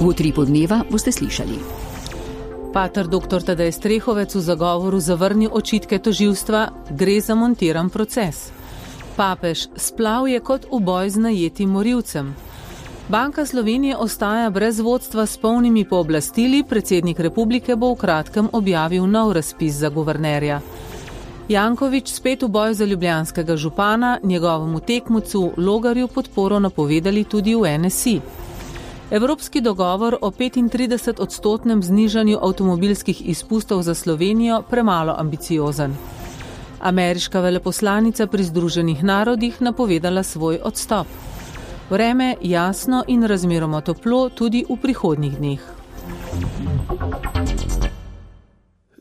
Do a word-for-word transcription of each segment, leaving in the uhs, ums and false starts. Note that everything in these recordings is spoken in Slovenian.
V utripu dneva boste slišali. Pater doktor Tadej Strehovec v zagovoru zavrni očitke tožilstva, gre za montiran proces. Papež, splav je kot uboj z najetim morilcem. Banka Slovenije ostaja brez vodstva s polnimi pooblastili, predsednik republike bo v kratkem objavil nov razpis za guvernerja. Janković spet v boj za ljubljanskega župana, njegovemu tekmucu Logarju podporo napovedali tudi v N S I. Evropski dogovor o petintrideset odstotnem znižanju avtomobilskih izpustov za Slovenijo premalo ambiciozen. Ameriška veleposlanica pri Združenih narodih napovedala svoj odstop. Vreme jasno in razmeroma toplo tudi v prihodnjih dneh.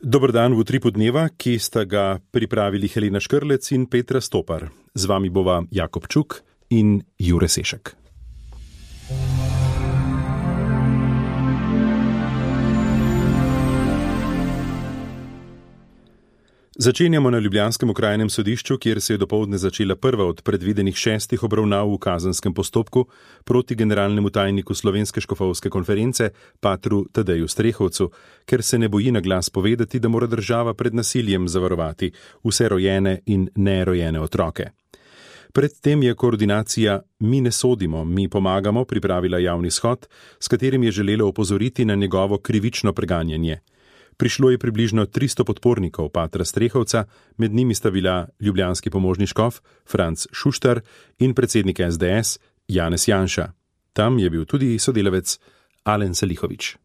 Dober dan v utripu dneva, ki sta ga pripravili Helena Škrlec in Petra Stopar. Z vami bova Jakob Čuk in Jure Sešek. Začenjamo na ljubljanskem okrajnem sodišču, kjer se je dopoldne začela prva od predvidenih šestih obravnav v kazenskem postopku proti generalnemu tajniku Slovenske škofovske konference, patru Tadeju Strehovcu, ker se ne boji na glas povedati, da mora država pred nasiljem zavarovati vse rojene in nerojene otroke. Predtem je koordinacija Mi ne sodimo, mi pomagamo pripravila javni shod, s katerim je želela opozoriti na njegovo krivično preganjanje. Prišlo je približno tristo podpornikov patra Strehovca, med njimi sta bila ljubljanski pomožni škof Franc Šuštar in predsednik S D S Janez Janša. Tam je bil tudi sodelavec Alen Salihović.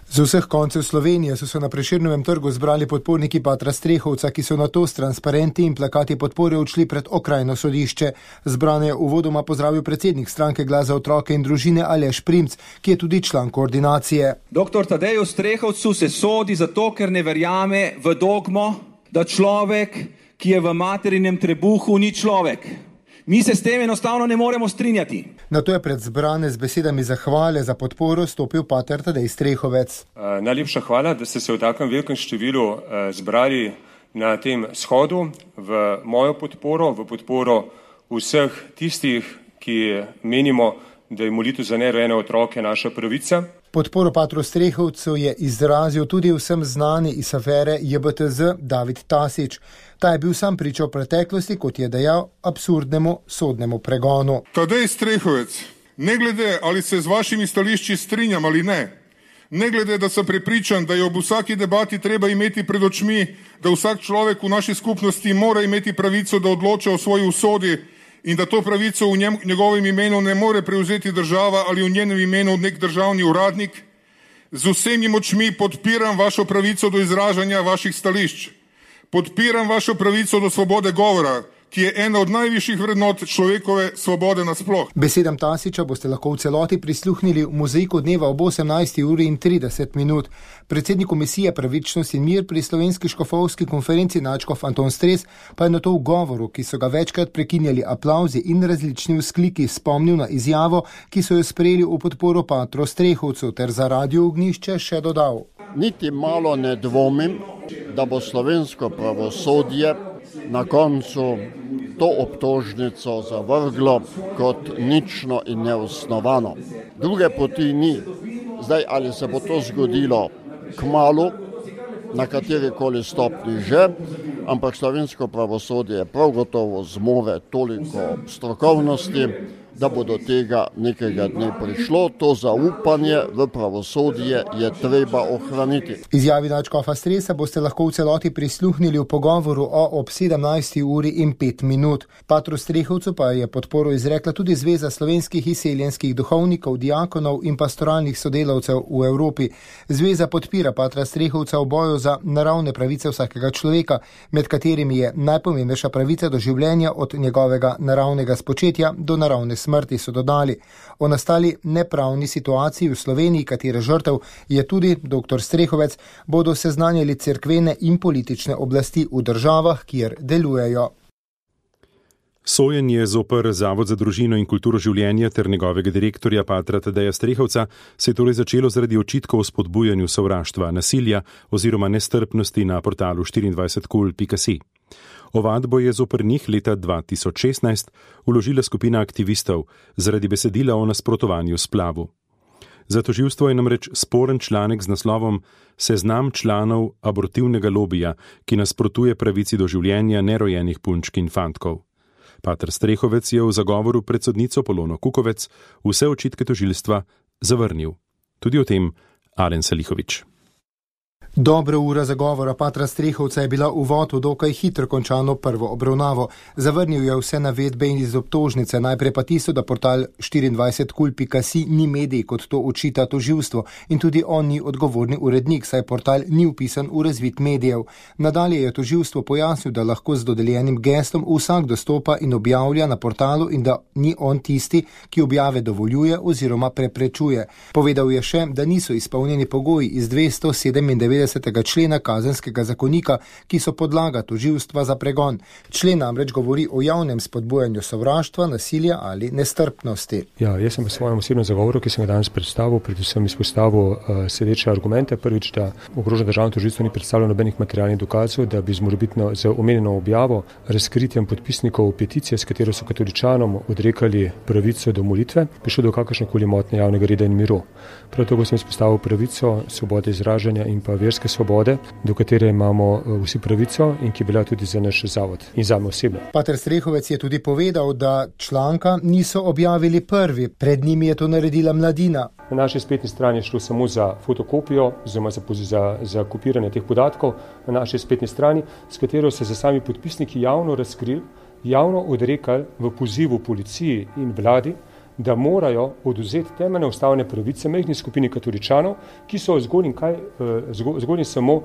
Z vseh koncev Slovenije so se na Prešernovem trgu zbrali podporniki patra Strehovca, ki so nato s transparenti in plakati podpore odšli pred okrajno sodišče. Zbrane je uvodoma pozdravil predsednik stranke Glas za otroke in družine Aleš Primc, ki je tudi član koordinacije. Doktor Tadeju Strehovcu se sodi zato, ker ne verjame v dogmo, da človek, ki je v materinem trebuhu, ni človek. Mi se s tem enostavno ne moremo strinjati. Nato je pred zbrane z besedami zahvale za podporo stopil pater Tadej Strehovec. Uh, najlepša hvala, da ste se v takem velikem številu uh, zbrali na tem shodu v mojo podporo, v podporo vseh tistih, ki menimo, da je molitev za nerojene otroke naša pravica. Podporo patru Strehovcu je izrazil tudi vsem znani iz afere J B T Z David Tasić. Ta je bil sam priča v preteklosti, kot je dejal, absurdnemu sodnemu pregonu. Tadej Strehovec, ne glede ali se z vašimi stališči strinjam ali ne, ne glede da sem prepričan, da je ob vsaki debati treba imeti pred očmi, da vsak človek v naši skupnosti mora imeti pravico, da odloča o svoji usodi in da to pravico v njem, njegovem imenu ne more prevzeti država ali v njenem imenu nek državni uradnik, z vsemi močmi podpiram vašo pravico do izražanja vaših stališč. Podpiram vašo pravico do svobode govora, ki je ena od najvišjih vrednot človekove svobode nasploh. Besedam Tasića boste lahko v celoti prisluhnili v mozaiku dneva ob osemnajsti uri in trideset minut. Predsednik komisije Pravičnost in mir pri Slovenski škofovski konferenci nadškof Anton Stres pa je na to v govoru, ki so ga večkrat prekinjali aplavzi in različni vzkliki, spomnil na izjavo, ki so jo sprejeli v podporo patru Strehovcu, ter za Radio Ognjišče še dodal. Niti malo ne dvomim, da bo slovensko pravosodje na koncu to obtožnico zavrglo kot nično in neosnovano. Druge poti ni. Zdaj, ali se bo to zgodilo kmalu, na katerikoli stopni že, ampak slovensko pravosodje prav gotovo zmore toliko strokovnosti, da bo do tega nekega dne prišlo. To zaupanje v pravosodje je treba ohraniti. Izjavi nadškofa Stresa boste lahko v celoti prisluhnili v pogovoru o ob sedemnajsti uri in pet minut. Patru Strehovcu pa je podporo izrekla tudi Zveza slovenskih izseljenskih duhovnikov, diakonov in pastoralnih sodelavcev v Evropi. Zveza podpira patra Strehovca v boju za naravne pravice vsakega človeka, med katerimi je najpomembnejša pravica do življenja od njegovega naravnega spočetja do naravne smrti, so dodali. O nastali nepravni situaciji v Sloveniji, katere žrtev je tudi doktor Strehovec, bodo seznanjali cerkvene in politične oblasti v državah, kjer delujejo. Sojenje zoper Zavod za družino in kulturo življenja ter njegovega direktorja patra Tadeja Strehovca se je torej začelo zaradi očitkov o spodbujanju sovraštva, nasilja oziroma nestrpnosti na portalu štiriindvajset kul pika si. Ovadbo je zoper njih leta dva tisoč šestnajst vložila skupina aktivistov zaradi besedila o nasprotovanju splavu. Za tožilstvo je namreč sporen članek z naslovom Seznam članov abortivnega lobija, ki nasprotuje pravici do življenja nerojenih punčk in fantkov. Pater Strehovec je v zagovoru pred sodnico Polono Kukovec vse očitke tožilstva zavrnil. Tudi o tem Alen Salihović. Dobra ura zagovora patra Strehovca je bila uvod v dokaj hitro končano prvo obravnavo. Zavrnil je vse navedbe iz obtožnice, najprej pa tisto, da portal štiriindvajset kul pika si ni medij, kot to očita tožilstvo, in tudi on ni odgovorni urednik, saj portal ni vpisan v razvid medijev. Nadalje je tožilstvo pojasnil, da lahko z dodeljenim geslom vsak dostopa in objavlja na portalu in da ni on tisti, ki objave dovoljuje oziroma preprečuje. Povedal je še, da niso izpolnjeni pogoji iz dvesto sedemindevetdesetega člena Kazenskega zakonika, ki so podlaga tožilstva za pregon. Člen namreč govori o javnem spodbujanju sovraštva, nasilja ali nestrpnosti. Ja, jaz sem v svojem osebnem zagovoru, ki sem ga danes predstavil, predvsem izpostavil uh, sledeče argumente. Prvič, da ogroženo državno tožilstvo ni predstavljalo nobenih materialnih dokazov, da bi z morebitno z omenjeno objavo, razkritjem podpisnikov peticije, s katero so katoličanom odrekali pravico do molitve, prišlo do kakršnekoli motnje javnega reda in miru. Prav tako sem izpostavil pravico svobode izražanja in pa verske svobode, do katere imamo vsi pravico in ki velja tudi za naš zavod in zame osebno. Pater Strehovec je tudi povedal, da članka niso objavili prvi, pred njimi je to naredila Mladina. Na naši spletni strani je šlo samo za fotokopijo, oziroma za, za, za kopiranje teh podatkov na naši spletni strani, s katero so se sami podpisniki javno razkrili, javno odrekali v pozivu policiji in vladi, da morajo oduzeti temeljne ustavne pravice majhni skupini katoličanov, ki so zgolj in, kaj, zgolj in samo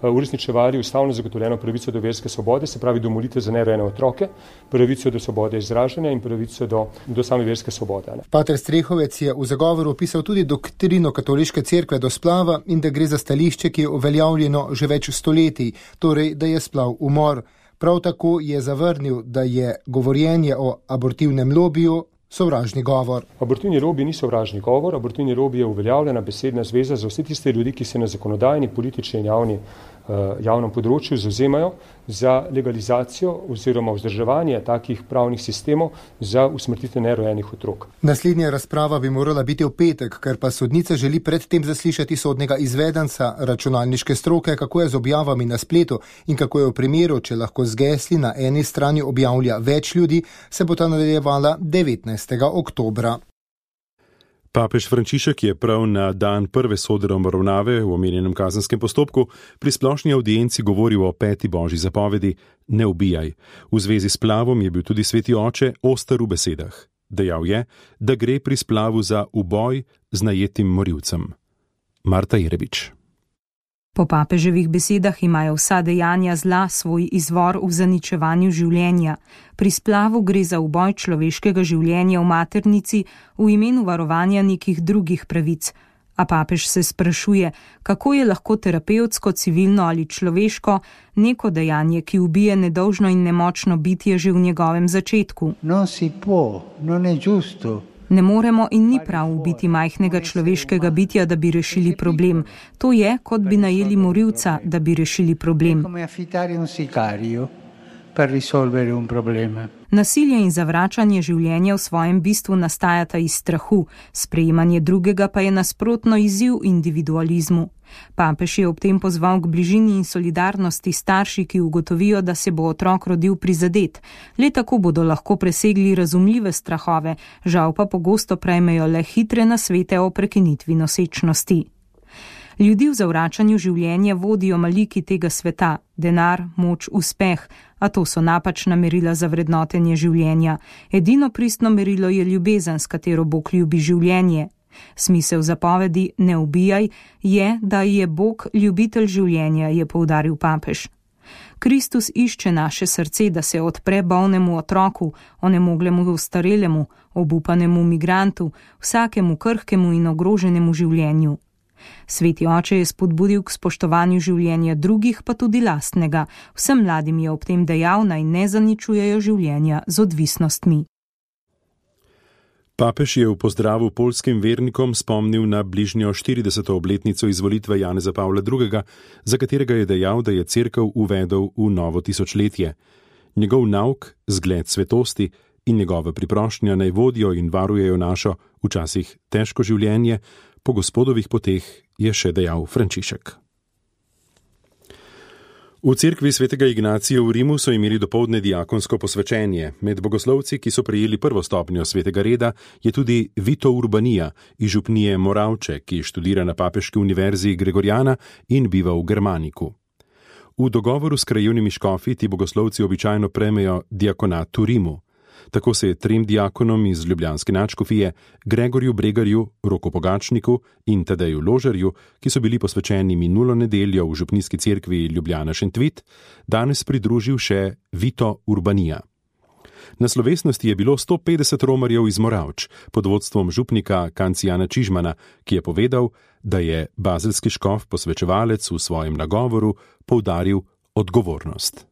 uresničevali ustavno zagotovljeno pravico do verske svobode, se pravi do molitve za nerojene otroke, pravico do svobode izražanja in pravico do, do same verske svobode. Ne. Pater Strehovec je v zagovoru opisal tudi doktrino katoliške cerkve do splava in da gre za stališče, ki je uveljavljeno že več stoletij, torej da je splav umor. Prav tako je zavrnil, da je govorjenje o abortivnem lobiju sovražni govor. Abortivni lobij ni sovražni govor, abortivni lobij je uveljavljena besedna zveza za vse tiste ljudi, ki se na zakonodajni, politični in javni, javnem področju zavzemajo za legalizacijo oziroma vzdrževanje takih pravnih sistemov za usmrtitev nerojenih otrok. Naslednja razprava bi morala biti v petek, ker pa sodnica želi predtem zaslišati sodnega izvedenca računalniške stroke, kako je z objavami na spletu in kako je v primeru, če lahko z gesli na eni strani objavlja več ljudi, se bo ta nadaljevala devetnajstega oktobra. Papež Frančišek je prav na dan prve sodne obravnave v omenjenem kazenskem postopku pri splošni audienci govoril o peti božji zapovedi ne ubijaj. V zvezi s splavom je bil tudi sveti oče oster v besedah. Dejal je, da gre pri splavu za uboj z najetim morilcem. Marta Jerebič. Po papeževih besedah imajo vsa dejanja zla svoj izvor v zaničevanju življenja. Pri splavu gre za uboj človeškega življenja v maternici v imenu varovanja nekih drugih pravic. A papež se sprašuje, kako je lahko terapevtsko, civilno ali človeško neko dejanje, ki ubije nedolžno in nemočno bitje že v njegovem začetku. Non si può, non è giusto. Ne moremo in ni prav ubiti majhnega človeškega bitja, da bi rešili problem. To je, kot bi najeli morilca, da bi rešili problem. Nasilje in zavračanje življenja v svojem bistvu nastajata iz strahu, sprejemanje drugega pa je nasprotno izziv individualizmu. Papež je ob tem pozval k bližini in solidarnosti starši, ki ugotovijo, da se bo otrok rodil prizadet. Le tako bodo lahko presegli razumljive strahove, žal pa pogosto prejmejo le hitre nasvete o prekinitvi nosečnosti. Ljudi v zavračanju življenja vodijo maliki tega sveta, denar, moč, uspeh, a to so napačna merila za vrednotenje življenja. Edino pristno merilo je ljubezen, s katero Bog ljubi življenje. Smisel zapovedi ne ubijaj je, da je Bog ljubitelj življenja, je poudaril papež. Kristus išče naše srce, da se odpre bolnemu otroku, onemoglemu ostarelemu, obupanemu migrantu, vsakemu krhkemu in ogroženemu življenju. Sveti oče je spodbudil k spoštovanju življenja drugih, pa tudi lastnega. Vsem mladim je ob tem dejal, naj ne zaničujejo življenja z odvisnostmi. Papež je v pozdravu poljskim vernikom spomnil na bližnjo štirideseto obletnico izvolitve Janeza Pavla drugega., za katerega je dejal, da je cerkev uvedel v novo tisočletje. Njegov nauk, zgled svetosti in njegova priprošnja naj vodijo in varujejo našo, včasih težko življenje, po Gospodovih poteh, je še dejal Frančišek. V cerkvi svetega Ignacija v Rimu so imeli dopoldne diakonsko posvečenje. Med bogoslovci, ki so prejeli prvo stopnjo svetega reda, je tudi Vito Urbanija iz župnije Moravče, ki študira na Papeški univerzi Gregoriana in biva v Germaniku. V dogovoru s krajevnimi škofi ti bogoslovci običajno prejmejo diakonat v Rimu. Tako se je trem diakonom iz ljubljanske nadškofije, Gregorju Bregarju, Roku Pogačniku in Tadeju Ložarju, ki so bili posvečeni minulo nedeljo v župnijski cerkvi Ljubljana Šentvit, danes pridružil še Vito Urbanija. Na slovesnosti je bilo sto petdeset romarjev iz Moravč pod vodstvom župnika Kancijana Čižmana, ki je povedal, da je bazelski škof posvečevalec v svojem nagovoru poudaril odgovornost.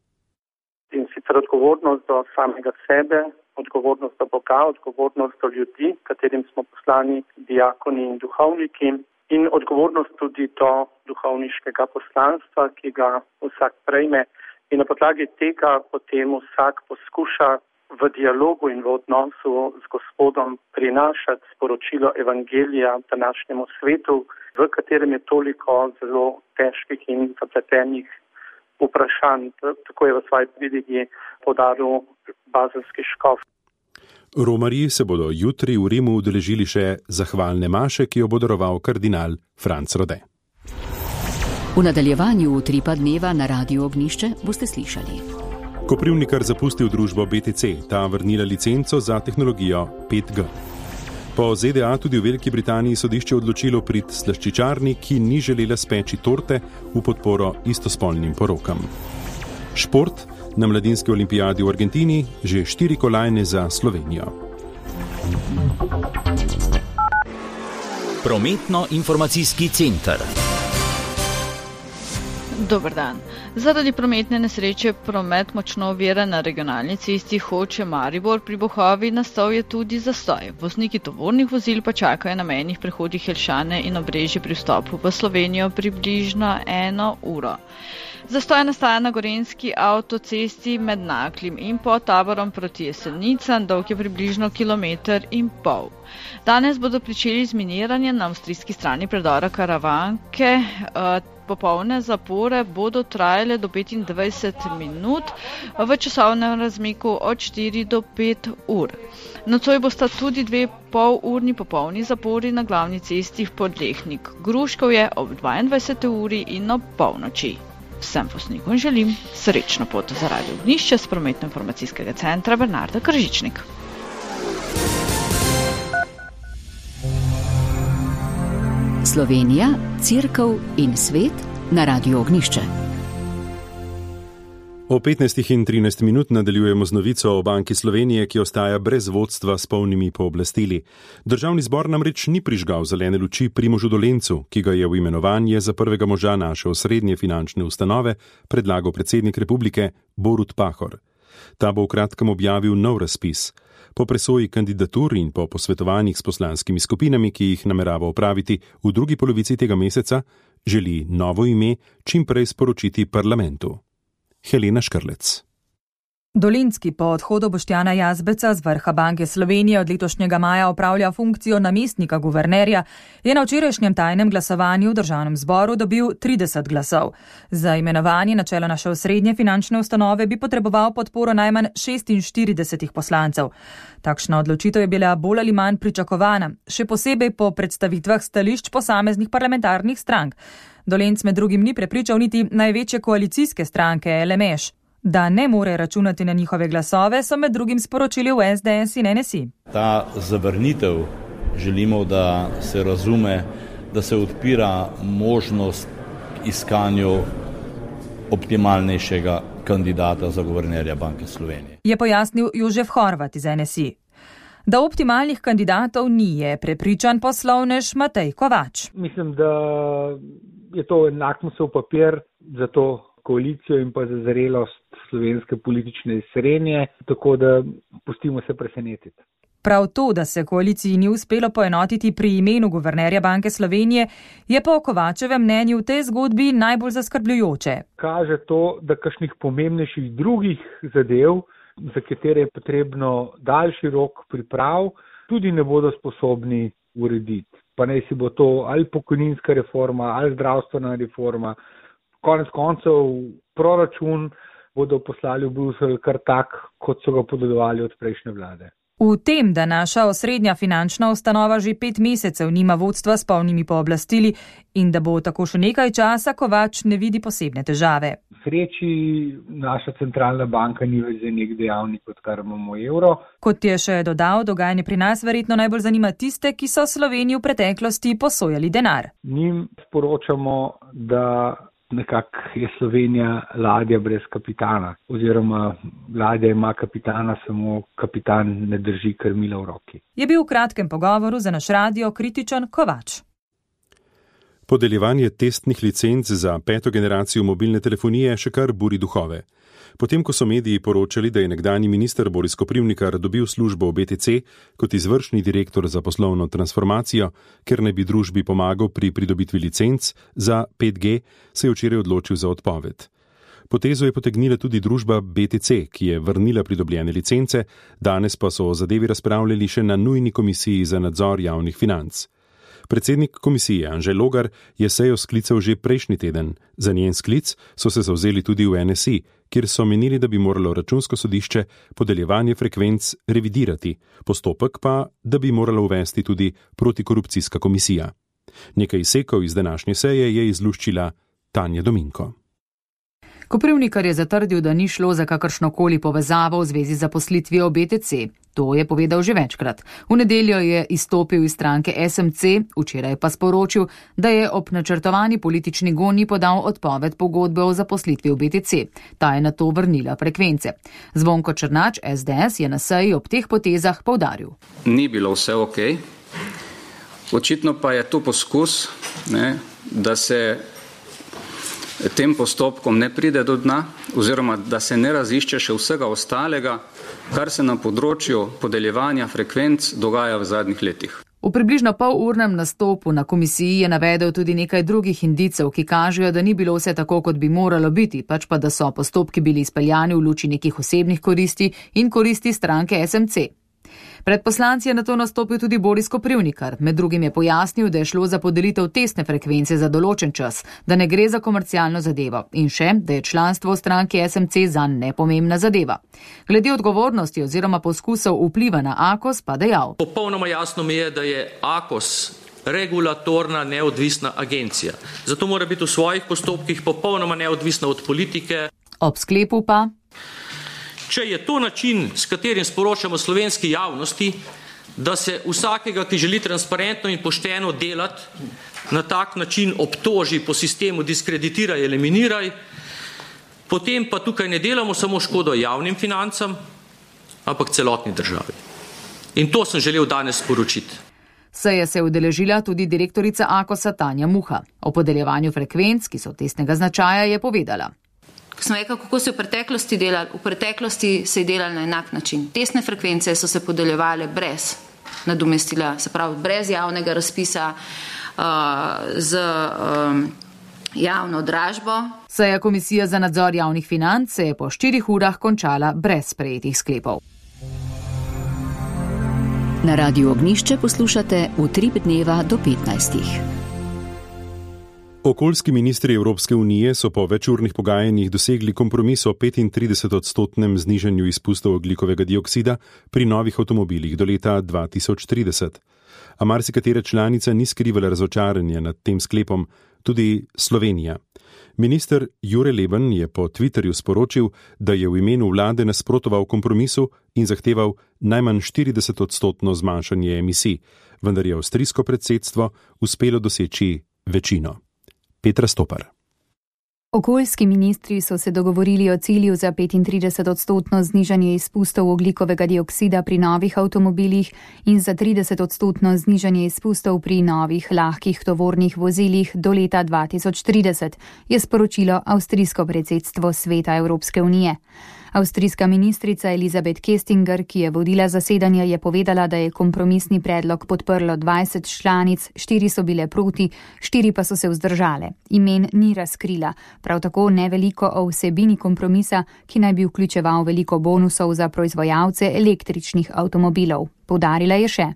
In sicer odgovornost do samega sebe, odgovornost do Boga, odgovornost do ljudi, katerim smo poslani diakoni in duhovniki, in odgovornost tudi do duhovniškega poslanstva, ki ga vsak prejme. In na podlagi tega potem vsak poskuša v dialogu in v odnosu z Gospodom prinašati sporočilo evangelija današnjemu svetu, v katerem je toliko zelo težkih in zapletenih vprašanj. Tako je v svoji pridige podaril bazelski škof. Romarji se bodo jutri v Rimu udeležili še zahvalne maše, ki jo bo daroval kardinal Franc Rode. V nadaljevanju Utripa dneva na Radiu Ognjišče boste slišali. Koprivnikar zapustil družbo B T C, ta vrnila licenco za tehnologijo pet G. Po Z D A tudi v Veliki Britaniji sodišče odločilo prid slaščičarni, ki ni želela speči torte v podporo istospolnim porokam. Šport. Na mladinski olimpijadi v Argentini že štiri kolajne za Slovenijo. Prometno-informacijski center. Dober dan. Zaradi prometne nesreče promet močno ovira na regionalni cesti Hoče-Maribor pri Bohovi, nastal je tudi zastoj. Vozniki tovornih vozil pa čakajo na mejnih prehodih Jelšane in Obrežje pri vstopu v Slovenijo približno eno uro. Zastoj nastaja na gorenjski avtocesti med Naklim in pod Taborom proti Jesenicam, dolg je približno kilometer in pol. Danes bodo pričeli z miniranjem na avstrijski strani predora Karavanke. Popolne zapore bodo trajale do petindvajset minut v časovnem razmiku od štiri do pet ur. Nocoj bosta tudi dve polurni popolni zapori na glavni cesti Podlehnik Gruškovje ob dvaindvajseti uri in ob polnoči. Vsem voznikom želim srečno pot za Radio Ognjišče s prometno-informacijskega centra Bernarda Kržičnik. Slovenija, cerkev in svet na Radiu Ognjišče. O petnajstih in trinajst minut nadaljujemo z novico o Banki Slovenije, ki ostaja brez vodstva s polnimi pooblastili. Državni zbor namreč ni prižgal zelene luči Primožu Dolencu, ki ga je v imenovanje za prvega moža naše osrednje finančne ustanove predlagal predsednik republike Borut Pahor. Ta bo v kratkem objavil nov razpis. Po presoji kandidatur in po posvetovanjih s poslanskimi skupinami, ki jih namerava opraviti v drugi polovici tega meseca, želi novo ime čim prej sporočiti parlamentu. Helena Škrlec. Dolenski po odhodu Boštjana Jazbeca z vrha Banke Slovenije od letošnjega maja opravlja funkcijo namestnika guvernerja, je na včerajšnjem tajnem glasovanju v državnem zboru dobil trideset glasov. Za imenovanje na čelo naše osrednje finančne ustanove bi potreboval podporo najmanj šestinštiridesetih poslancev. Takšna odločitev je bila bolj ali manj pričakovana, še posebej po predstavitvah stališč posameznih parlamentarnih strank. Dolenc med drugim ni prepričal niti največje koalicijske stranke L M Š. Da ne more računati na njihove glasove, so med drugim sporočili v S D S in N S I. Ta zavrnitev želimo, da se razume, da se odpira možnost iskanju optimalnejšega kandidata za guvernerja Banke Slovenije. Je pojasnil Jožef Horvat iz N S I. Da optimalnih kandidatov ni, je prepričan poslovnež Matej Kovač. Mislim, da je to lakmusov papir za to koalicijo in pa za zrelost slovenske politične srednje, tako da pustimo se presenetiti. Prav to, da se koaliciji ni uspelo poenotiti pri imenu guvernerja Banke Slovenije, je po Kovačevem mnenju v tej zgodbi najbolj zaskrbljujoče. Kaže to, da kakšnih pomembnejših drugih zadev, za katere je potrebno daljši rok priprav, tudi ne bodo sposobni urediti. pa naj si bo to ali pokojninska reforma, ali zdravstvena reforma. Konec koncev proračun bodo poslali v Bruselj kar tak, kot so ga podedovali od prejšnje vlade. V tem, da naša osrednja finančna ustanova že pet mesecev nima vodstva s polnimi pooblastili in da bo tako še nekaj časa, Kovač ne vidi posebne težave. V sreči naša centralna banka ni več za nek dejavnik, odkar imamo evro. Kot je še dodal, dogajanje pri nas verjetno najbolj zanima tiste, ki so Sloveniji v preteklosti posojali denar. Njim sporočamo, da nekako je Slovenija ladja brez kapitana, oziroma ladja ima kapitana, samo kapitan ne drži krmila v roki. Je bil v kratkem pogovoru za naš radio kritičen Kovač. Podeljevanje testnih licenc za peto generacijo mobilne telefonije še kar buri duhove. Potem, ko so mediji poročali, da je nekdanji minister Boris Koprivnikar dobil službo v B T C kot izvršni direktor za poslovno transformacijo, ker naj bi družbi pomagal pri pridobitvi licenc za pet G, se je včeraj odločil za odpoved. Potezo je potegnila tudi družba B T C, ki je vrnila pridobljene licence, danes pa so o zadevi razpravljali še na nujni komisiji za nadzor javnih financ. Predsednik komisije Anže Logar je sejo sklical že prejšnji teden. Za njen sklic so se zavzeli tudi v N S I, kjer so menili, da bi moralo računsko sodišče podeljevanje frekvenc revidirati, postopek pa, da bi morala uvesti tudi protikorupcijska komisija. Nekaj izsekov iz današnje seje je izluščila Tanja Dominko. Koprivnikar je zatrdil, da ni šlo za kakršnokoli povezavo v zvezi z zaposlitvijo B T C. To je povedal že večkrat. V nedeljo je izstopil iz stranke S M C, včeraj pa sporočil, da je ob načrtovani politični gonji podal odpoved pogodbe o zaposlitvi v B T C. Ta je nato vrnila frekvence. Zvonko Črnač, S D S, je na seji ob teh potezah poudaril. Ni bilo vse ok. Očitno pa je to poskus, ne, da se tem postopkom ne pride do dna, oziroma da se ne razišče še vsega ostalega, kar se na področju podeljevanja frekvenc dogaja v zadnjih letih. V približno polurnem nastopu na komisiji je navedel tudi nekaj drugih indicev, ki kažejo, da ni bilo vse tako, kot bi moralo biti, pač pa da so postopki bili izpeljani v luči nekih osebnih koristi in koristi stranke S M C. Pred poslanci je na to nastopil tudi Boris Koprivnikar. Med drugim je pojasnil, da je šlo za podelitev testne frekvence za določen čas, da ne gre za komercialno zadevo in še, da je članstvo v stranki S M C zanj nepomembna zadeva. Glede odgovornosti oziroma poskusov vpliva na Akos pa dejal. Popolnoma jasno mi je, da je Akos regulatorna neodvisna agencija. Zato mora biti v svojih postopkih popolnoma neodvisna od politike. Ob sklepu pa. Če je to način, s katerim sporočamo slovenski javnosti, da se vsakega, ki želi transparentno in pošteno delati, na tak način obtoži po sistemu diskreditiraj, eliminiraj, potem pa tukaj ne delamo samo škodo javnim financam, ampak celotni državi. In to sem želel danes sporočiti. Seje se je udeležila tudi direktorica Akosa Tanja Muha. O podeljevanju frekvenc, ki so testnega značaja, je povedala. Ko smo rekli, kako so v preteklosti delali, v preteklosti se je delali na enak način. Testne frekvence so se podeljevale brez nadomestila, se pravi brez javnega razpisa, uh, z um, javno dražbo. Seja komisije za nadzor javnih financ se je po štirih urah končala brez sprejetih sklepov. Na Radiu Ognjišče poslušate Utrip dneva do petnajstih. Okoljski ministri Evropske unije so po večurnih pogajanjih dosegli kompromis o petintridesetodstotnem znižanju izpustov ogljikovega dioksida pri novih avtomobilih do leta dva tisoč trideset. A marsikatera članica ni skrivala razočaranja nad tem sklepom, tudi Slovenija. Minister Jure Leben je po Twitterju sporočil, da je v imenu vlade nasprotoval kompromisu in zahteval najmanj štiridesetodstotno zmanjšanje emisij, vendar je avstrijsko predsedstvo uspelo doseči večino. Petra Stopar. Okoljski ministri so se dogovorili o cilju za petintridesetodstotno znižanje izpustov ogljikovega dioksida pri novih avtomobilih in za tridesetodstotno znižanje izpustov pri novih lahkih tovornih vozilih do leta dva tisoč trideset, je sporočilo avstrijsko predsedstvo Sveta Evropske unije. Avstrijska ministrica Elisabeth Köstinger, ki je vodila zasedanje, je povedala, da je kompromisni predlog podprlo dvajset članic, štiri so bile proti, štiri pa so se vzdržale. Imen ni razkrila, prav tako ne veliko o vsebini kompromisa, ki naj bi vključeval veliko bonusov za proizvajalce električnih avtomobilov. Poudarila je še.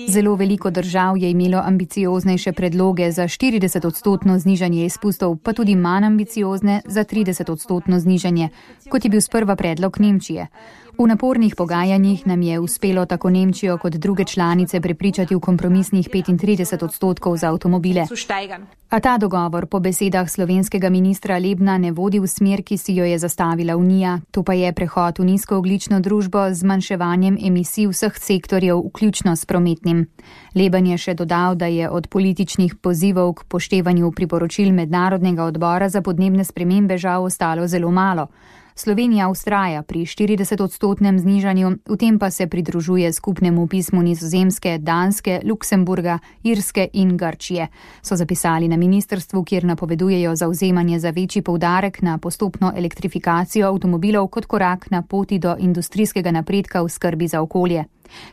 Zelo veliko držav je imelo ambicioznejše predloge za štirideset odstotno znižanje izpustov, pa tudi manj ambiciozne za trideset odstotno znižanje, kot je bil sprva predlog Nemčije. V napornih pogajanjih nam je uspelo tako Nemčijo kot druge članice prepričati v kompromisnih petintrideset odstotkov za avtomobile. A ta dogovor po besedah slovenskega ministra Lebna ne vodi v smer, ki si jo je zastavila Unija, to pa je prehod v nizkoogljično družbo z zmanjševanjem emisij vseh sektorjev, vključno s prometnim. Leben je še dodal, da je od političnih pozivov k poštevanju priporočil Mednarodnega odbora za podnebne spremembe žal ostalo zelo malo. Slovenija ustraja pri štirideset odstotnem znižanju, v tem pa se pridružuje skupnemu pismu Nizozemske, Danske, Luksemburga, Irske in Grčije, so zapisali na ministrstvu, kjer napovedujejo zavzemanje za večji poudarek na postopno elektrifikacijo avtomobilov kot korak na poti do industrijskega napredka v skrbi za okolje.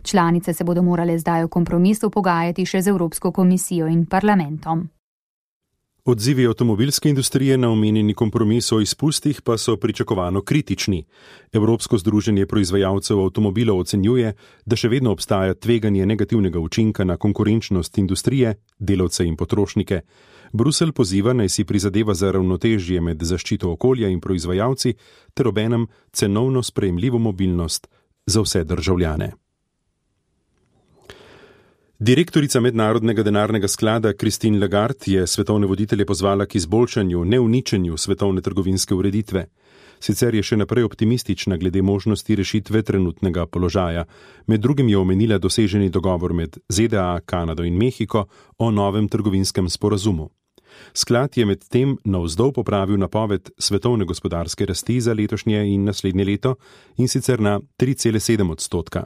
Članice se bodo morale zdaj v kompromisu pogajati še z Evropsko komisijo in parlamentom. Odzivi avtomobilske industrije na omenjeni kompromis o izpustih pa so pričakovano kritični. Evropsko združenje proizvajalcev avtomobilov ocenjuje, da še vedno obstaja tveganje negativnega učinka na konkurenčnost industrije, delavce in potrošnike. Bruselj poziva naj si prizadeva za ravnotežje med zaščito okolja in proizvajalci ter obenem cenovno sprejemljivo mobilnost za vse državljane. Direktorica Mednarodnega denarnega sklada Christine Lagarde je svetovne voditelje pozvala k izboljšanju, ne uničenju svetovne trgovinske ureditve. Sicer je še naprej optimistična glede možnosti rešitve trenutnega položaja. Med drugim je omenila doseženi dogovor med Z D A, Kanado in Mehiko o novem trgovinskem sporazumu. Sklad je med tem navzdol popravil napoved svetovne gospodarske rasti za letošnje in naslednje leto, in sicer na tri cele sedem odstotka.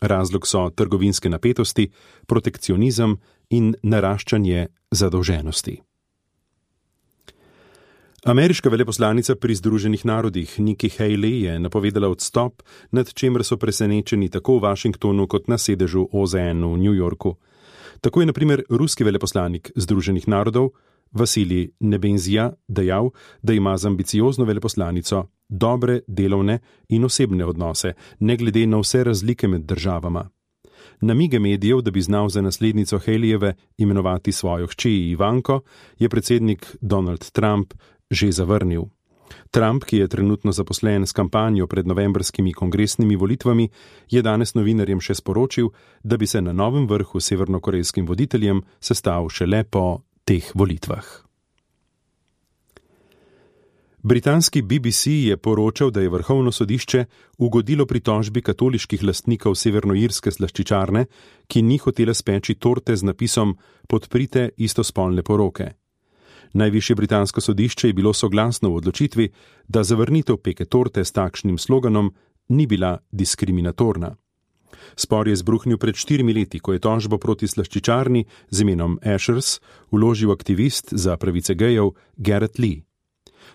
Razlog so trgovinske napetosti, protekcionizem in naraščanje zadolženosti. Ameriška veleposlanica pri Združenih narodih Nikki Haley je napovedala odstop, nad čemer so presenečeni tako v Washingtonu kot na sedežu O Z N v New Yorku. Tako je na primer ruski veleposlanik Združenih narodov Vasilij Nebenzija dejal, da ima z ambiciozno veleposlanico dobre delovne in osebne odnose, ne glede na vse razlike med državama. Namige medijev, da bi znal za naslednico Haleyjeve imenovati svojo hči Ivanko, je predsednik Donald Trump že zavrnil. Trump, ki je trenutno zaposlen s kampanjo pred novembrskimi kongresnimi volitvami, je danes novinarjem še sporočil, da bi se na novem vrhu s severnokorejskim voditeljem sestal šele po teh volitvah. Britanski B B C je poročal, da je vrhovno sodišče ugodilo pritožbi katoliških lastnikov severnoirske slaščičarne, ki ni hotela speči torte z napisom Podprite istospolne poroke. Najvišje britansko sodišče je bilo soglasno v odločitvi, da zavrnitev peke torte s takšnim sloganom ni bila diskriminatorna. Spor je zbruhnil pred štirimi leti, ko je tožbo proti slaščičarni z imenom Ashers vložil aktivist za pravice gejev Garrett Lee.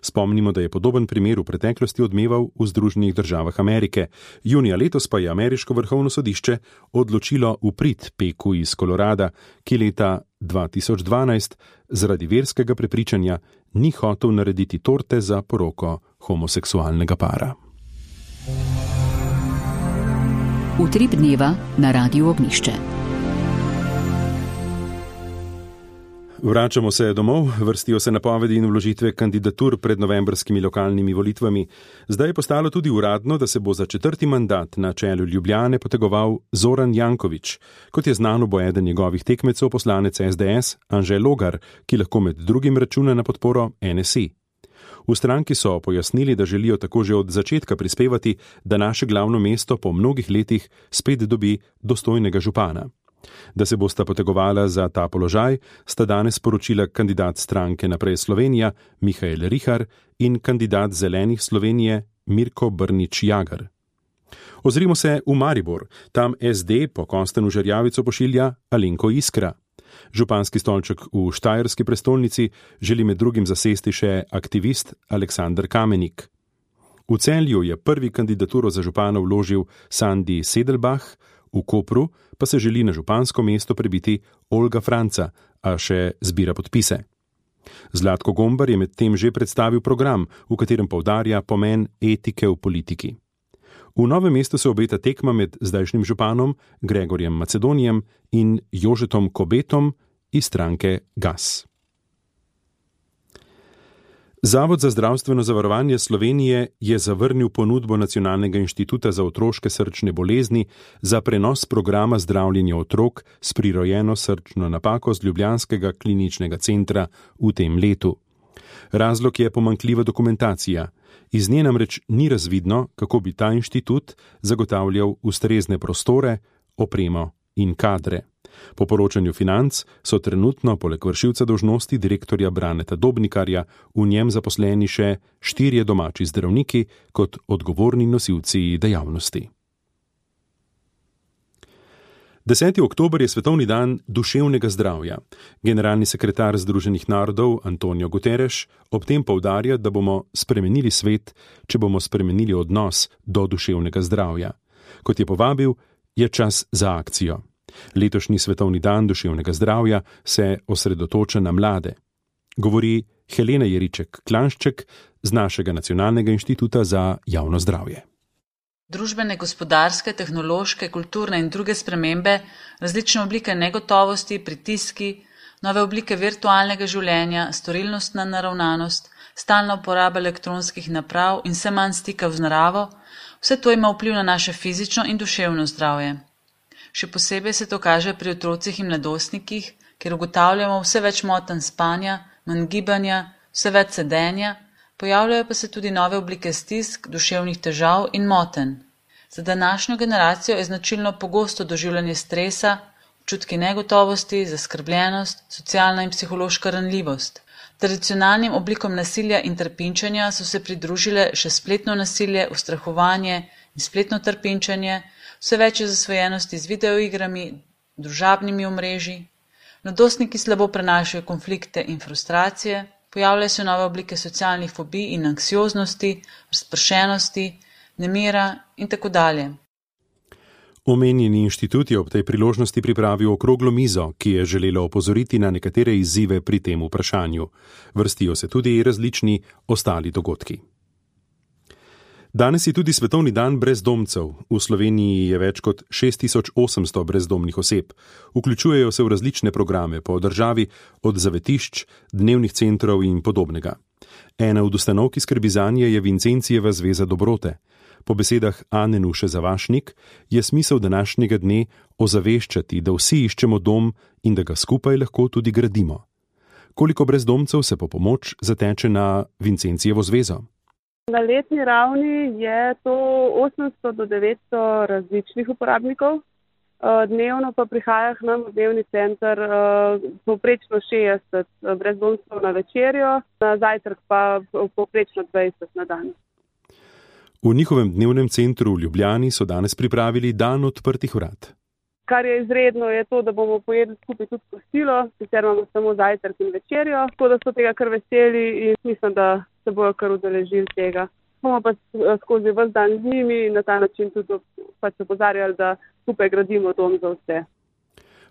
Spomnimo, da je podoben primer v preteklosti odmeval v Združenih državah Amerike. Junija letos pa je ameriško vrhovno sodišče odločilo v prid Peku iz Kolorada, ki leta dva tisoč dvanajst zaradi verskega prepričanja ni hotel narediti torte za poroko homoseksualnega para. Utrip dneva na Radiu Ognjišče. Vračamo se domov, vrstijo se napovedi in vložitve kandidatur pred novembrskimi lokalnimi volitvami. Zdaj je postalo tudi uradno, da se bo za četrti mandat na čelu Ljubljane potegoval Zoran Janković. Kot je znano, bo eden njegovih tekmecev poslanec S D S Anže Logar, ki lahko med drugim računa na podporo N S I. V stranki so pojasnili, da želijo tako že od začetka prispevati, da naše glavno mesto po mnogih letih spet dobi dostojnega župana. Da se bosta potegovala za ta položaj, sta danes sporočila kandidat stranke Naprej Slovenija Mihael Rihar in kandidat Zelenih Slovenije Mirko Brnič Jagar. Ozrimo se v Maribor, tam S D po Konstanu Žerjavico pošilja Alenko Iskra. Županski stolček v štajerski prestolnici želi med drugim zasesti še aktivist Aleksander Kamenik. V Celju je prvi kandidaturo za župana vložil Sandi Sedelbach, v Kopru pa se želi na župansko mesto prebiti Olga Franca, a še zbira podpise. Zlatko Gombar je med tem že predstavil program, v katerem poudarja pomen etike v politiki. V Novem mestu se obeta tekma med zdajšnjim županom Gregorjem Macedonijem in Jožetom Kobetom iz stranke G A S. Zavod za zdravstveno zavarovanje Slovenije je zavrnil ponudbo Nacionalnega inštituta za otroške srčne bolezni za prenos programa zdravljenja otrok s prirojeno srčno napako z ljubljanskega kliničnega centra v tem letu. Razlog je pomanjkljiva dokumentacija. Iz nje namreč ni razvidno, kako bi ta inštitut zagotavljal ustrezne prostore, opremo in kadre. Po poročanju Financ so trenutno poleg vršilca dolžnosti direktorja Braneta Dobnikarja v njem zaposleni še štirje domači zdravniki kot odgovorni nosilci dejavnosti. deseti oktober je svetovni dan duševnega zdravja. Generalni sekretar Združenih narodov Antonio Guterres ob tem poudarja, da bomo spremenili svet, če bomo spremenili odnos do duševnega zdravja. Kot je povabil, je čas za akcijo. Letošnji svetovni dan duševnega zdravja se osredotoča na mlade. Govori Helena Jeriček-Klanšček z našega Nacionalnega inštituta za javno zdravje. Družbene, gospodarske, tehnološke, kulturne in druge spremembe, različne oblike negotovosti, pritiski, nove oblike virtualnega življenja, storilnostna naravnanost, stalna uporaba elektronskih naprav in vse manj stikov z naravo, vse to ima vpliv na naše fizično in duševno zdravje. Še posebej se to kaže pri otrocih in mladostnikih, kjer ugotavljamo vse več motenj spanja, manj gibanja, vse več sedenja, pojavljajo pa se tudi nove oblike stisk, duševnih težav in motenj. Za današnjo generacijo je značilno pogosto doživljanje stresa, občutki negotovosti, zaskrbljenost, socialna in psihološka ranljivost. Tradicionalnim oblikom nasilja in trpinčenja so se pridružile še spletno nasilje, ustrahovanje in spletno trpinčenje, vse več je zasvojenosti z videoigrami, družabnimi omrežji. Mladostniki slabo prenašajo konflikte in frustracije, pojavljajo se nove oblike socialnih fobij in anksioznosti, razpršenosti, nemira in tako dalje. Omenjeni inštitut je ob tej priložnosti pripravil okroglo mizo, ki je želela opozoriti na nekatere izzive pri tem vprašanju. Vrstijo se tudi različni ostali dogodki. Danes je tudi svetovni dan brezdomcev. V Sloveniji je več kot šest tisoč osemsto brezdomnih oseb. Vključujejo se v različne programe po državi, od zavetišč, dnevnih centrov in podobnega. Ena od ustanov, ki skrbi zanje, je Vincencijeva zveza dobrote. Po besedah Ane Nuše Zavašnik je smisel današnjega dne ozaveščati, da vsi iščemo dom in da ga skupaj lahko tudi gradimo. Koliko brezdomcev se po pomoč zateče na Vincencijevo zvezo? Na letni ravni je to osemsto do devetsto različnih uporabnikov, dnevno pa prihaja k nam v dnevni center povprečno šestdeset brezdomcev na večerjo, na zajtrk pa povprečno dvajset na dan. V njihovem dnevnem centru v Ljubljani so danes pripravili dan odprtih vrat. Kar je izredno, je to, da bomo pojedli skupaj tudi kosilo, sicer imamo samo zajtrk in večerjo, tako da so tega kar veseli in mislim, da se bojo kar udeležili tega. Bomo pa skozi ves dan z njimi in na ta način tudi pač opozarjali, da skupaj gradimo dom za vse.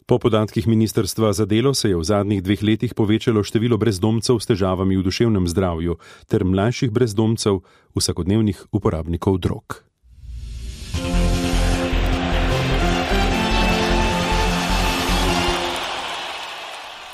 Po podatkih Ministrstva za delo se je v zadnjih dveh letih povečalo število brezdomcev s težavami v duševnem zdravju ter mlajših brezdomcev, vsakodnevnih uporabnikov drog.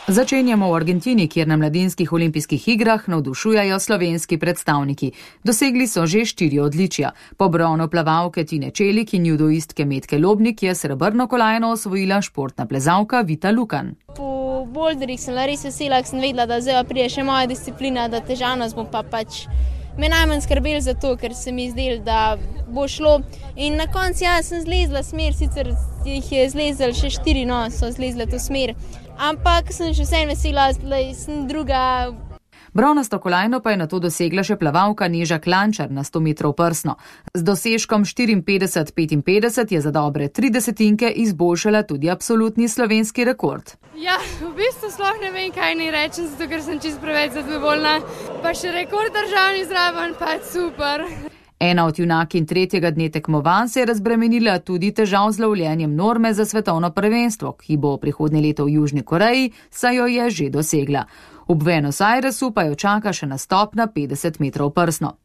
Začenjamo v Argentini, kjer na mladinskih olimpijskih igrah navdušujajo slovenski predstavniki. Dosegli so že štiri odličja. Po bronu plavalke Tine Čelik in judoistke Metke Lobnik je srebrno kolajno osvojila športna plezalka Vita Lukan. Po boulderjih sem res vesela, ker sem vedela, da zdaj pride še moja disciplina, da težavnost bo pa pač me najmanj skrbel za to, ker se mi zdelo, da bo šlo. In na koncu ja, sem zlezla smer, sicer jih je zlezla še štiri, no, so zlezla to smer. Ampak sem še vsem vesela, da sem druga. Bronasto kolajno pa je nato dosegla še plavalka Neža Klančar na sto metrov prsno. Z dosežkom štiriinpetdeset petinpetdeset je za dobre tri desetinke izboljšala tudi absolutni slovenski rekord. Ja, v bistvu sploh ne vem, kaj naj rečem, zato ker sem čisto preveč zadovoljna. Pa še rekord državni zraven, pa super. Ena od junakinj tretjega dne tekmovanj se je razbremenila tudi težav z lovljenjem norme za svetovno prvenstvo, ki bo prihodnje leto v Južni Koreji, saj jo je že dosegla. V Buenos Airesu pa jo čaka še nastop na petdeset metrov prsno.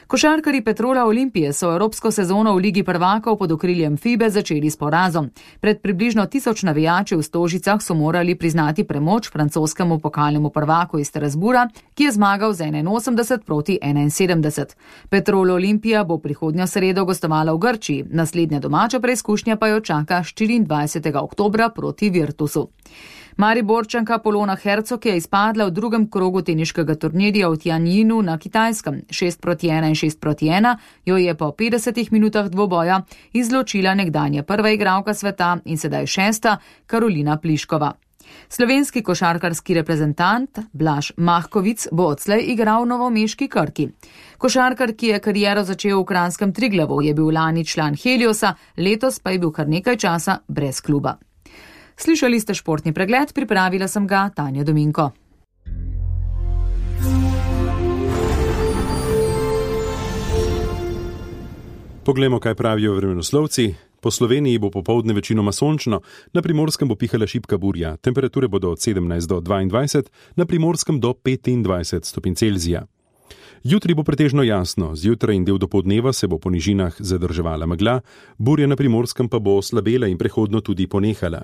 Košarkarji Petrola Olimpije so evropsko sezono v Ligi prvakov pod okriljem Fibe začeli s porazom. Pred približno tisoč navijači v Stožicah so morali priznati premoč francoskemu pokalnemu prvaku iz Strasbura, ki je zmagal z enainosemdeset proti enainsedemdeset. Petrol Olimpija bo prihodnjo sredo gostovala v Grčiji, naslednja domača preizkušnja pa jo čaka štiriindvajsetega oktobra proti Virtusu. Mariborčanka Polona Hercog je izpadla v drugem krogu teniškega turnirja v Tianjinu na Kitajskem. šest proti ena in šest proti ena jo je po petdesetih minutah dvoboja izločila nekdanja prva igralka sveta in sedaj šesta Karolina Pliškova. Slovenski košarkarski reprezentant Blaž Mahkovic bo odslej igral v novomeški Krki. Košarkar, ki je kariero začel v kranjskem Triglavu, je bil lani član Heliosa, letos pa je bil kar nekaj časa brez kluba. Slišali ste športni pregled, pripravila sem ga Tanja Dominko. Poglejmo, kaj pravijo vremenoslovci. Po Sloveniji bo popoldne večinoma sončno, na Primorskem bo pihala šibka burja, temperature bodo od sedemnajst do dvaindvajset, na Primorskem do petindvajset stopinj Celzija. Jutri bo pretežno jasno, zjutraj in del dopoldneva se bo po nižinah zadrževala megla, burja na Primorskem pa bo slabela in prehodno tudi ponehala.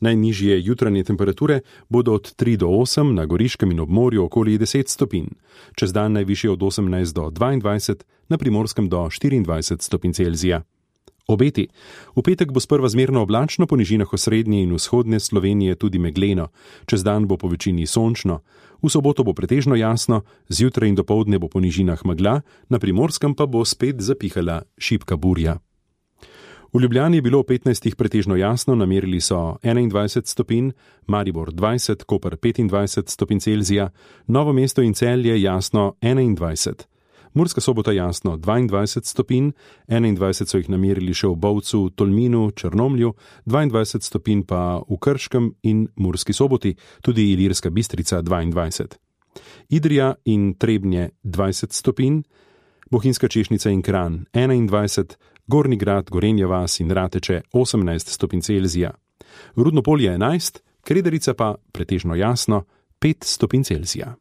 Najnižje jutranje temperature bodo od tri do osem, na Goriškem in ob morju okoli deset stopinj. Čez dan najvišje od osemnajst do dvaindvajset, na Primorskem do štiriindvajset stopinj Celzija. Obeti. V petek bo sprva zmerno oblačno, po nižinah osrednje in vzhodne Slovenije tudi megleno. Čez dan bo po večini sončno. V soboto bo pretežno jasno, zjutraj in dopoldne bo po nižinah megla, na Primorskem pa bo spet zapihala šibka burja. V Ljubljani je bilo v petnajstih pretežno jasno, namerili so enaindvajset stopinj, Maribor dvajset, Koper petindvajset stopinj Celzija, Novo mesto in Celje jasno enaindvajset. Murska Sobota jasno dvaindvajset stopinj, enaindvajset so jih namerili še v Bovcu, Tolminu, Črnomlju, dvaindvajset stopinj pa v Krškem in Murski Soboti, tudi Ilirska Bistrica dvaindvajset. Idrija in Trebnje dvajset stopinj, Bohinjska Češnica in Kranj enaindvajset, Gornji Grad, Gorenja vas in Rateče osemnajst stopinj Celzija. Rudno Polje enajst, Krederica pa pretežno jasno pet stopinj Celzija.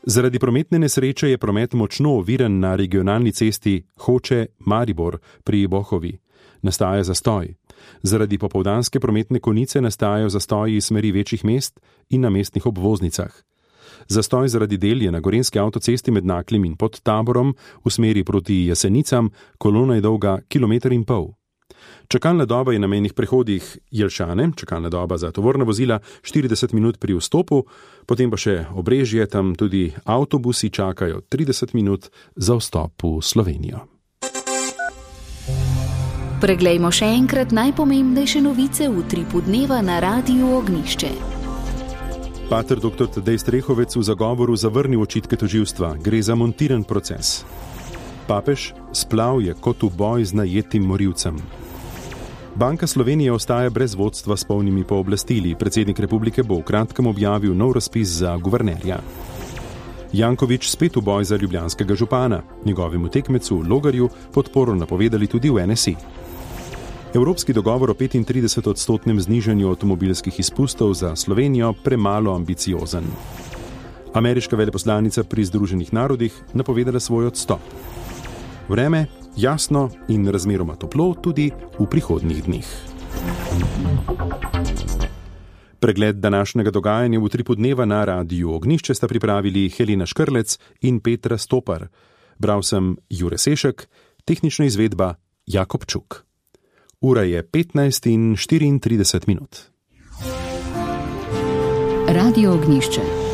Zaradi prometne nesreče je promet močno oviran na regionalni cesti Hoče-Maribor pri Bohovi. Nastaja zastoj. Zaradi popoldanske prometne konice nastajajo zastoji iz smeri večjih mest in na mestnih obvoznicah. Zastoj zaradi del je na gorenjski avtocesti med Naklim in pod Taborom v smeri proti Jesenicam, kolona je dolga kilometer in pol. Čakalna doba je na mejnih prehodih Jelšane, čakalna doba za tovorna vozila štirideset minut pri vstopu, potem pa še Obrežje, tam tudi avtobusi čakajo trideset minut za vstop v Slovenijo. Preglejmo še enkrat najpomembnejše novice v utripu dneva na Radiu Ognjišče. Pater doktor Tadej Strehovec v zagovoru zavrnil očitke tožilstva, gre za montiran proces. Papež, splav je kot v boj z najetim morilcem. Banka Slovenije ostaja brez vodstva s polnimi pooblastili. Predsednik republike bo v kratkem objavil nov razpis za guvernerja. Janković spet v boj za ljubljanskega župana. Njegovemu tekmecu Logarju podporo napovedali tudi v N S I. Evropski dogovor o petintrideset odstotnem znižanju avtomobilskih izpustov za Slovenijo premalo ambiciozen. Ameriška veleposlanica pri Združenih narodih napovedala svoj odstop. Vreme jasno in razmeroma toplo tudi v prihodnjih dneh. Pregled današnjega dogajanja v utripu dneva na Radiu Ognjišče sta pripravili Helena Škrlec in Petra Stopar. Bral sem Jure Sešek, tehnična izvedba Jakob Čuk. Ura je petnajst in štiriintrideset minut. Radio Ognjišče.